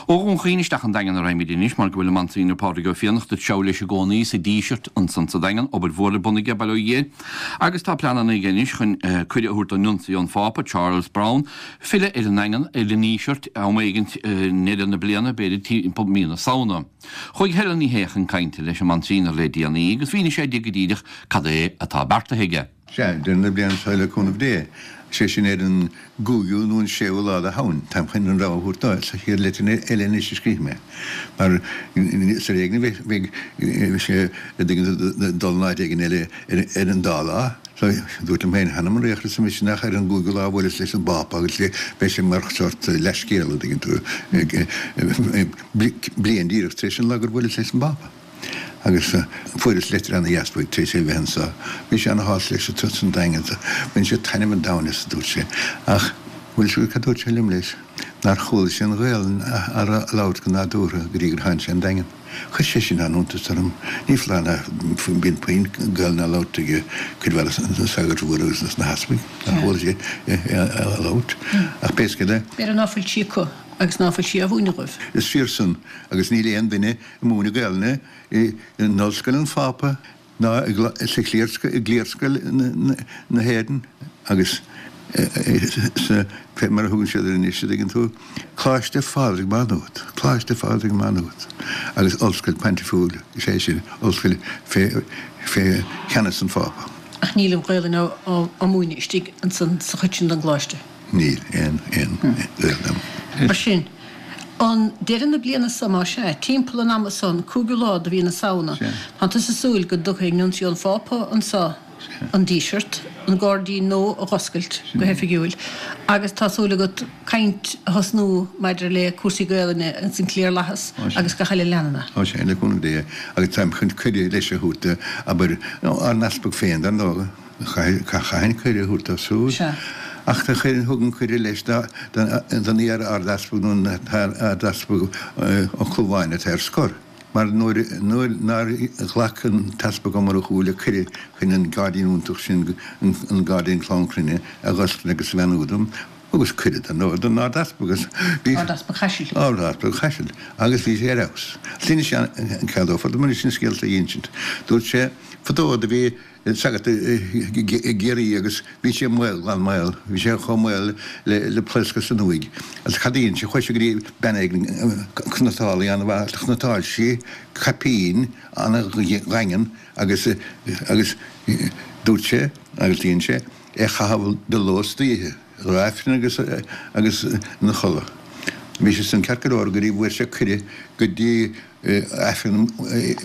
Ó Dhún Chaoin isteach an Daingean a raghaimid anois mar go bhfuil an Monsignor Pádraig Ó Fiannachta ag treabhadh leis i gcónaí sa Díseart ansan sa Daingean, obair mhór ar bun aige, bail ó Dhia air. Agus tá pleananna aige anois chun cuireadh a thabhairt don Nuncio ón Phápa, Charles Brown, filleadh ar an nDaingean, ar an nDíseart, am éigint i ndeireadh na bliana, b'fhéidir timpeall mí na Samhna. Chuaigh Helen Ní Shé chun cainte leis an Monsignor le déanaí agus mhínigh sé di go díreach cad é atá beartaithe aige. Sea, deireadh na bliana seo le cúnamh Dé, sé sin ar an gcúigiú nó an séú lá de Shamhain. Táim chun an rogha a thabhairt dó sa chéad leitir eile anois a scríobhfaidh mé. Mar is ar éigean a bheidh sé ag dul in áit éigin eile ar an dá lá. So, dúirt liom féin, th'anam 'on laochra is mise nach ar an gcúigiú lá a bhuaileas leis an bPápa agus beidh sé mar shórt leathscéal, an dtuigeann tú, bliain díreach tar éis an lá gur bhuaileas leis an bPápa. Agus fuaireas leitir ana-dheas uaidh tar éis é bheith anso. Bhí sé ana-shásta leis an turas san Daingean. Bhain sé taitneamh an domhain as, a dúirt sé. Ach bhfuil 'fhios agat cad dúirt sé liom leis? Nár chuala sé an Ghaelainn á labhairt go nádúrtha go dtí gur tháinig sé an Daingean. Chuir sé sin an-iontas orm. Ní foláir ná bíonn puinn Gaelainne á labhairt ag cuid mhaith de na sagairt mhóra agus na heaspaig. Nár chuala sé é á labhairt. Ach pé scéal é. B'fhéidir ná fuil sí acu agus ná fuil sí á mhúineadh dóibh. Is fíor san agus níl aon duine ag múineadh Gaelainne in Ollscoil an Phápa ná sa gcliarscoil na hÉireann agus sa, fé mar a thugann siad air anois, a dtuigeann tú, Coláiste Phádraig Má Nuad, Coláiste Phádraig Má Nuad agus Ollscoil Pointifiúil, is é sin, ollscoil fé, fé cheannas an Phápa. Ach níl an Ghaelainn á múineadh istigh ansan sa chuid sin den gcoláiste. Níl aon, aon Ghaelainn ann. Mar sin. An deireadh na bliana seo, más ea, timpeall an ama san, cúigiú lá de mhí na Samhna, tá tusa ag súil go dtiocfaidh Nuncio an Phápa anso an Díseart, an gairdín nua a dh'oscailt go hoifigiúil, agus tá súil agat caint a thosnú maidir le cúrsaí Gaelainne ins an gcliarlathas agus gach uile leanann é. Ó sea, le cúnamh Dé, agus táim chun cuireadh leis a thabhairt do, abair, ár n-easpag féin, dar ndóigh. Chaithfinn cuireadh a thabhairt dó siúd. Ach do chuir, thug an cuireadh leis don iar-Ard-Easpag nó an tArd-Easpag Ó Clúmháin atá ar scor. Mar nuair, nuair nár ghlac an tEaspag Ó Murchú le cuireadh chun an gairdín iontach sin, an gairdín Clann Chruinne, a dh'oscailt agus a bheannú dom, thugas cuireadh dar ndóigh don Ard-Easpag agus bhí. Ard-Easpag Chaisil. Ard-Easpag Chaisil. Agus bhí sé ar fheabhas. D'inis sé an ceadófar dom anois an scéal seo a insint. Dúirt sé, fadó do bhí. sagart i gCiarraí agus bhí sé maol, glan maol, bhí sé chomh maol le pléascadh san uaigh. Agus cad a dhein sé? Chuaigh sé go dtí bean éigin, cniotálaí an-mhaith, agus chniotáil sí caipín an-dhaingean agus, agus dúirt sé, agus dhein sé, é a chaitheamh de ló is d'oíche, roimh Aifreann agus, agus ina chodladh. Bhí sé san ceart go leor go dtí bhfuair sé cuireadh go dtí Aifreann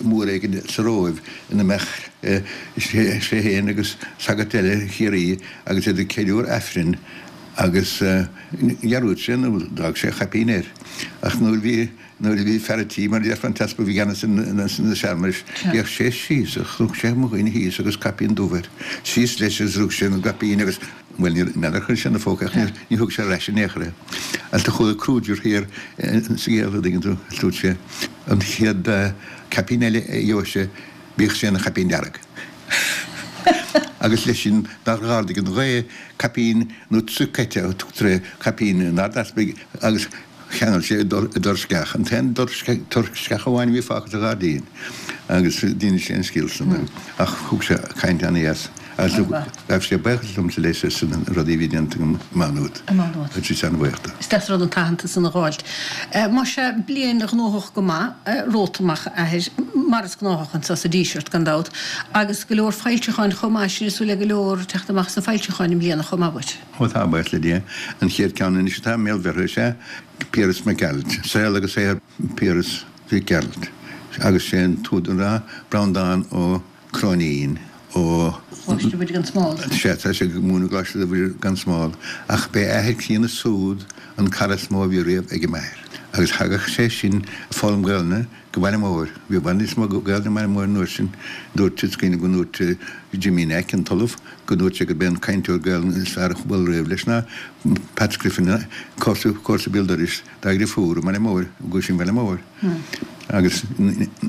mór éigin sa Róimh ina mbeadh sé féin agus sagart eile Chiarraí agus iad ag ceiliúradh Aifrinn agus dhearúd sé nó d'fhág sé a chaipín air. Ach nuair a bhí nuair a bhí fear a' tí, mar a déarfá, an t-easpag a bhí i gceannas na searmanais, d'fhéach sé síos agus chonaic sé mo dhuine thíos agus caipín dubh air. Síos leis agus rug sé an gcaipín agus. Bhuel, ní n'fheadar ar chuir sé ina phóca ach ní thug sé ar ais in aon chor é. Agus do chuala Kruger thiar sa gcéad, a dtuigeann tú, dúirt sé, an chéad caipín eile a gheobhas sé, bíodh sé ina chaipín dearg. Agus leis sin, nár ardaigh an ghaoth caipín nó tricotte a tugtar ar chaipín an Ard-Easpaig agus Cheangail sé i dtor sceach, an t-aon tor sceach amháin a bhí fágtha sa ghairdín, agus d'inis sé an scéal san ach thug sé caint ana-dheas agus ghabh sé buíochas liomsa leis as na rudaí a bhí déanta agam i Má Nuad. I Má Nuad. Bhí sé an-bhuíoch de. Is deas an rud an t-aitheantas san a dh'fháilt. Más ea, bliain ghnóthach go maith romhat amach, a Athair, mar is gnáthach anso sa Díseart, gan dabht, agus go leor foilseacháin chomh maith, sin ag súil le go leor teacht amach sna foilseacháin i mbliana chomh maith uait. Ó tá, buíochas le Dia. An chéad ceann anois atá i mbéal bheirthe is ea Piaras Mac Gearailt, Saol agus Saothar Phiarais Mhic Gearailt agus sé an t-údar ná Breandán Ó Cróinín ó. Choláiste Mhuire gan Smál. Sea, tá sé ag múineadh i gColáiste Mhuire gan Smál. Ach b'é a athair críonna súd an cara is mó a bhí riamh ag m'athair. Agus thagadh sé sin ag foghlaim Gaelainne go Baile Móir. Bhí i bhfad níos mó Gaelainne i mBaile Móir an uair sin. Dúirt, is cuimhin liom go ndúirt Jimmy Nack, an t-ollamh, go ndúirt sé gurb é an cainteoir Gaelainne is fearr a chuala riamh leis ná Pat Griffin, comharsa béal dorais dá dheirfiúr i mBaile Móir, i gCuisín Bhaile Móir. Agus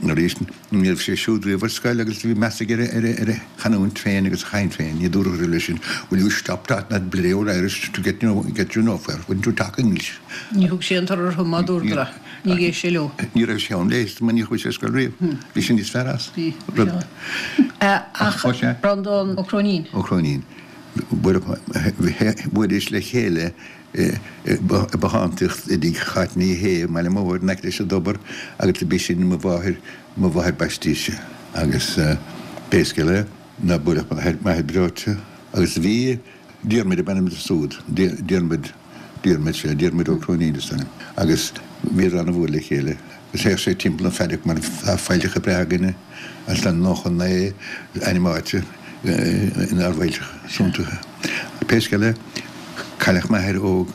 arís, ní raibh sé siúd riamh ar scoil agus bhí meas aige ar a chanúint féin agus a chaint féin. Ní dúradh leis sin, Will you stop talking that bloody old Irish to get you nowhere, wouldn't you talk English? Ní thug sé an toradh orthu má dúradar é. Ní d'éist sé leo. Ní raibh sé ann léi, mar ní chuaigh sé ar scoil riamh. Bhí sé níos fearr as. Bhí. Ach Breandán Ó Cróinín. Ó Cróinín. Bhuaileadís le chéile i bbothántaíocht i dtigh Cháit Ní Shé i mBaile Móir in aice leis an dtobar agus b'í sin mo mháthair, mo mháthair baistí-se. Agus pé scéal é, ná buailfeadh m'athair breoite. Agus bhí Diarmuid ab ainm dó súd, Diarmuid, Diarmuid, sea, Diarmuid Ó Cróinín is ainm. Agus bhíodar an-mhór le chéile. Agus théadh sé timpeall an phaiddock mar tá failltreacha breátha againne agus tá 99 ainm áite inár bhfailltreacha suntasacha. Pé scéal é, cailleadh m'athair óg,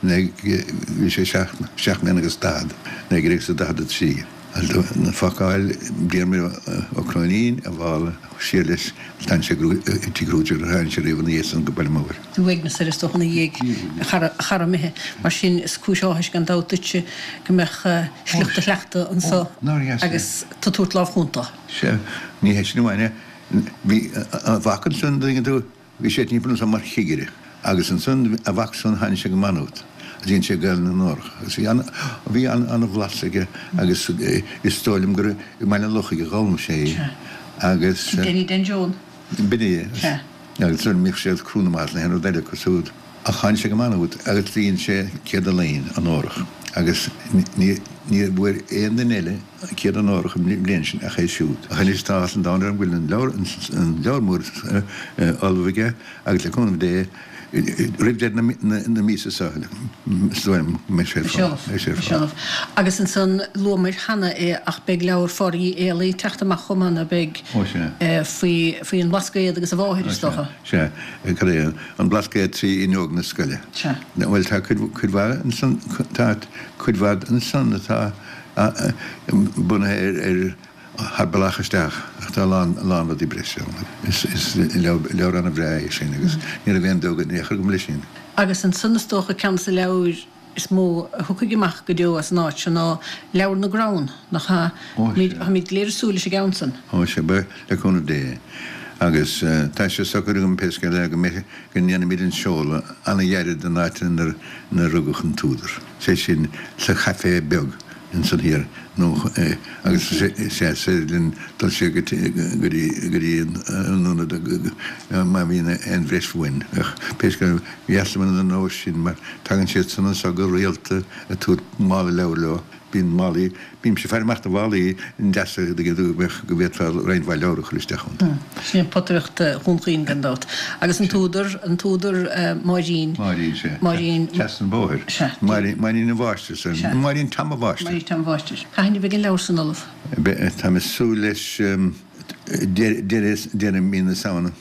bhí sé seacht mbliana agus daichead, 1943. Fágáil Diarmuid Ó Cróinín a mhála siar leis agus d'fhan sé i dtigh Rúideach ar tháinig sé riamh ina dhiaidh san go Baile Móir. Bhí uaigneas air is dócha ina dhiaidh, a chara, a chara imithe. Mar sin is cúis áthais gan dabht duitse go mbeadh sliocht a shleachta anso agus tú tabhairt lámh chúnta. Sea, ní hé sin amháin é. Bhí a mhac ansan, an dtuigeann tú, Bhí sé timpeall ansan mar chigire agus ansan a mhac san tháinig sé go Maynooth agus dhein sé Gaelainn na nÓrach agus bhí an bhí an an-bhlas aige agus is dóigh liom gur i mBaile an Lochaigh a d'fhoghlaim sé í agus. Denny Den Joan. B'in é. Sea. Agus ansan bhíodh sé ag crú na mban is aon rud eile acu siúd. Ach tháinig sé go Maynooth agus dhein sé céad onóir onórach agus ní ní bhfuair aon duine eile céad onórach an bhliain sin ach é siúd. Ach anois tá áthas an domhain orm go bhfuil an leabhar an leabhar mór ullamh aige agus le cúnamh Dé roimh deireadh na míosa seo is dóigh liom go mbeidh sé ar fáil. Beidh sé ar fáil. Agus ansan luamair cheana é ach beidh leabhar Phádraig Uí Éalaí ag teacht amach chomh maith ná beidh? Ó sea. Faoi faoi an mBlascaod agus a mháthair is dócha. Sea. Cad é an Blascaod trí fhuinneog na scoile. Sea. Bhuel tá cuid cuid mhaith ansan tá cuid mhaith ansan atá bunaithe ar thar bealach isteach ach tá a lán a lán rudaí breise ann. Is is leabhar an-bhreá é sin agus ní raibh aon dabht in aon chor agam leis sin. Agus ansan is dócha ceann de na leabhair is mó a thiocfaidh amach go deo as an áit seo ná Leabhar na gCrann, nach ea? Ó sea. Táimid go léir ag súil leis an gceann san. Ó sea, beidh, le cúnamh Dé. Agus tá sé socair agam pé scéal é go mbeidh, go ndéanfaimid an seoladh an-ghairid don áit inar rugadh an t-údar, sé sin sa chaifé beag ansan thiar nó agus is is féidir linn dul siar go dtí go dtí an ionad má bhíonn aon bhreis uainn. Ach pé scéal é, b'dheas liom an nós sin mar tagann siad san anso go rialta ag tabhairt mála leabhar leo. Bíonn málaí, bímse ag faire amach do mhálaí deasa go go bhféadfá roinnt mhaith leabhar a chur isteach iontu. Sin é potaireacht Dhún Chaoin gan dabht. Agus an t-údar, an t-údar Máirín. Máirín, sea. Máirín. Trasna an bhóthair. Sea. Máirín, Máirín an Mháistir, sea. Sea. Máirín Tom a' Mháistir. Máirín Tom a' Mháistir. Cathain a bheidh an leabhar san ullamh? Beidh, táim ag súil leis deireadh, deireadh mí na Samhna.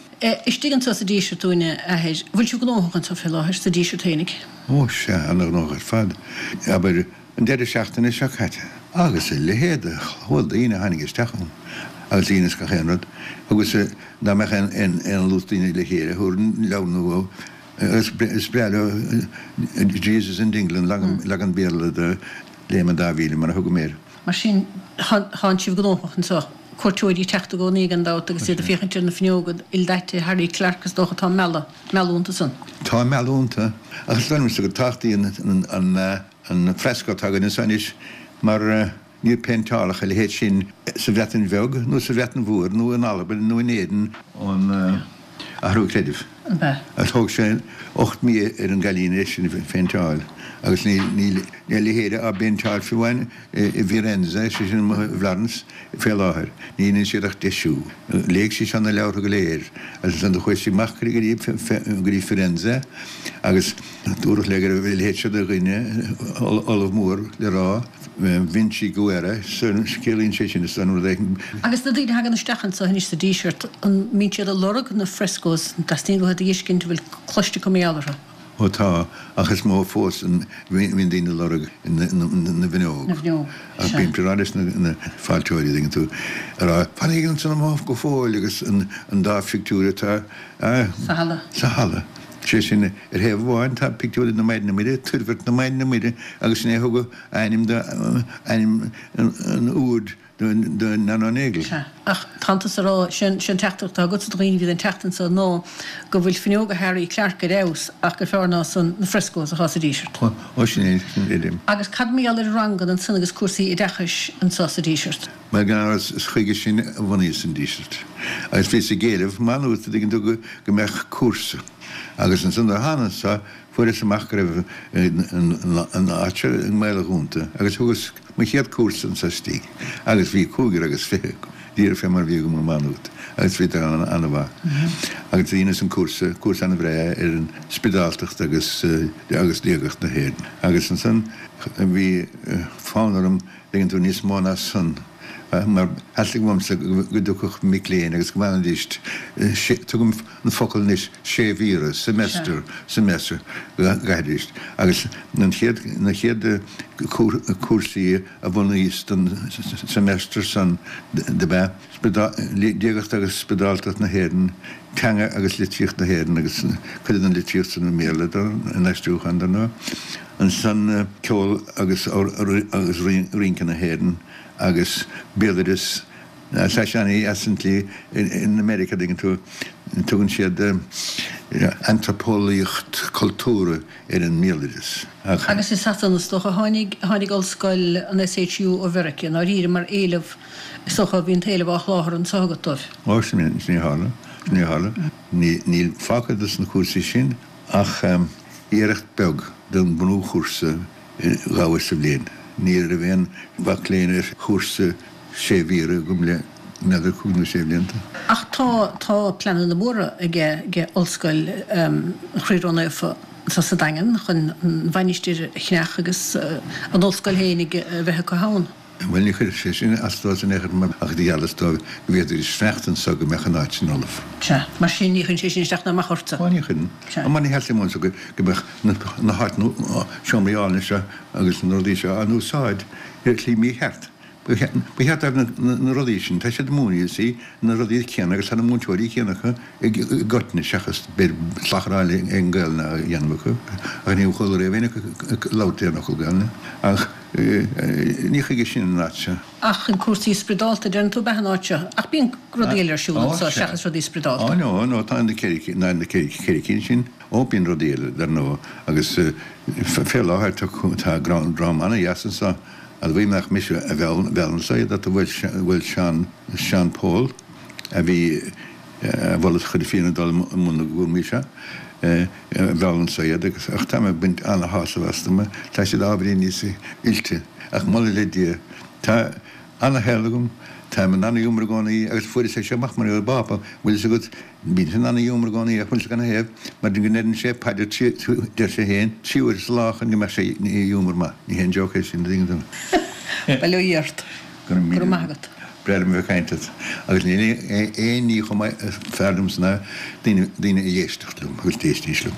Istigh anseo sa Díseart dúinn, a Athair. Bhfuil sibh gnóthach anseo fé láthair, sa Díseart fhéinig? Ó sea, ana-ghnóthach ar fad. Abair, an deireadh seachtaine seo caite. Agus a leithéid de shlua daoine a tháinig isteach ann, agus daoine as gach aon rud. Agus dá mbeadh aon lucht daoine le chéile, thabharfainn leabhar nua agus is breá leo Jesus in Dingle, leagan Béarla de Léim an Dá Mhíle, mar a thugaim air. Mar sin, tánn sibh gnóthach anseo. Cuairteoirí ag teacht i gcónaí gan dabht agus iad ag féachaint ar na fuinneoga ildaite, Harry Clarke is dócha atá ag mealladh, mealladh iontu san. Tá ag mealladh iontu, ach is dóigh liomsa go tábhachtaí an fresco atá againn anseo anois mar níor péinteáladh a leithéid sin sa Bhreatain Bheag nó sa Bhreatain Mhór nó in Albain nó in Éirinn ón athrú creidimh. Ab ea? Agus thóg sé 8 mí ar an gcailín é sin a phéinteáil agus níl a leithéid á bpéinteáil fiú amháin i bhFirenze, sé sin i bhFlorence, fé láthair. Ní dhéanann siad ach deisiú. Léigh sí seo na leabhartha go léir agus ansan do chuaigh sí amach go dtí Firenze agus dúradh léi go raibh a leithéid seo de dhuine, ollamh mór le rá, Vinciguerra, ciallaíonn sé sin is an rud éigin. Agus na daoine a thagann isteach anseo anois sa Díseart, an mbíonn siad ag lorg na frescoes, an dteastaíonn uathu iad a fheiscint, an bhfuil cloiste acu mar gheall orthu? Ó tá, ach is mó fós a bhíonn daoine ag lorg na bhfuinneog. Na bhfuinneog, Ach sea. bím ag rá leis na fáilteoirí, dtuigeann tú, ag rá, fanaigí ansan amuigh go fóill agus an dá phictiúr atá Sa halla. sa halla. Sé sin, ar thaobh amháin tá pictiúr de na Maighdine Muire, Toirbhirt na Maighdine Muire, agus sin é a thug ainm do, ainm an úid do Nano Nagle. Sea, ach tánn tusa a rá, sé an teachtaireacht atá agatsa do dhaoine a bhíonn ag teacht anso ná go bhfuil fuinneoga Harry Clarke ar fheabhas ach gur fearr ná san na frescoes atá sa Díseart. Ó, sin é, sin é. Agus cad mar gheall ar ranganna ansan agus cúrsaí oideachais anso sa Díseart? Mar gan amhras is chuige sin a bhunaíos an Díseart. Agus bhíos ag éileamh, Maigh Nuad, an dtuigeann tú, go mbeadh cúrsa. Agus ansan nuair a thána anso fuaireas amach go raibh an áit seo i mbaol a dhúnta agus thugas mo chéad cúrsa anso istigh agus bhí 25, díreach fé mar a bhí agam i Maigh Nuad agus bhíodar an-mhaith. Agus dheineas an cúrsa, cúrsa an-bhreá ar an spioradáltacht agus agus diagacht na hÉireann. Agus ansan bhí fonn orm dtuigeann tú, níos mó ná san, mar theastaigh uaimse go dtiocfadh mic léinn agus go bhfanfaidís, tugaim an focal anois, sé mhíre, semester, semester, go gcaithfidís. Agus an chéad, na chéad cúrsaí a bhunaíos don semester san dob ea, Diagacht agus Spioradáltacht na hÉireann, Teanga agus Litríocht na hÉireann agus cuid den litríocht san i mBéarla, in aistriúchán dar ndóigh. Ansan Ceol agus agus Rince na hÉireann agus Béaloideas. Tá sé ana-dheas an tslí in America, an dtuigeann tú, tugann siad antraipeolaíocht cultúrtha ar an mbéaloideas. Ach. Agus i Sasana is dócha a tháinig, tháinig ollscoil an SHU ó Mheirice, i ndáiríre, mar éileamh, is dócha, bhí an t-éileamh á sholáthar anso agat dóibh. Ó, sin é, sin é a tharla, sin é a tharla. Níl fágtha dos na cúrsaí sin ach iarracht beag den ghnóthchúrsa dhá uair sa bhliain. Ní raibh aon mhac léinn ar chúrsa sé mhíre agam le n'fheadar cúig nó sé bhlianta. Ach tá, tá pleananna móra aige, ag Ollscoil Chroí Ró-Naofa anseo sa Daingean chun an mhainistir a cheannach agus an ollscoil féin a bheith acu ann. Bhuel, ní chuirfeadh sé sin as dóibh in aon chor mar ach gheallas dóibh go bhféadfaidís fanacht anso go mbeadh an áit sin ullamh. Sea. Mar sin, ní chuireann sé sin isteach ná amach ortsa. Ó, ní chuireann. Sea. Mar ní theastaíonn uaimse go mbeadh na háiteanna, seomraí álainne seo agus na rudaí seo á n-úsáid ar shlí mícheart. Ba cheart dóibh na rudaí sin, tá siad ag múineadh, see, na rudaí céanna agus tá na múinteoirí céanna acu i gcoitinne seachas b'fhéidir slachdráil ag an Gaelainn á dhéanamh acu ach níor chuala riamh éinne acu ag labhairt aon fhocal Gaelainne. Ach ní chuige sin an áit seo. Ach chun cúrsaí spioradálta, deireann tú, ab ea an áit seo? Ach bíonn rudaí eile ar siúl anseo seachas rudaí spioradálta. Ó no, no, tá na ceithre cinn sin. Ó bíonn rudaí eile, dar ndóigh, agus fé láthair tá dráma ana-dheas anseo. Admhaím nach mise a mheall anso iad ach bhuel Seán, Seán Pól a bhí a mhol a chuid féin a dul i mbun na gcúraimí seo, a mheall anso iad agus ach táim ag baint ana-shásamh astu mar tá siad ábhairín níos oilte ach moladh le Dia tá ana-shaol agam, táim in ana-ghiúmar i gcónaí agus fuaireas é seo amach mar an bPápa, bhfuil fhios agat, Bíonn sé in ana-ghiúmar i gcónaí ach bhfuil fhios agat cad 'na thaobh, mar go ndeireann sé paidir trí, deir sé féin, trí huaire sa lá chun go mbeadh sé i ngiúmar maith. Ní haon joke é sin, an dtuigeann tú. Bail ó Dhia ort. Go raibh míle maith agat. Breá liom a bheith ag caint leat. Agus níl aon ní chomh maith is fearr liomsa ná daoine, daoine a éisteacht liom agus d'éistidís liom.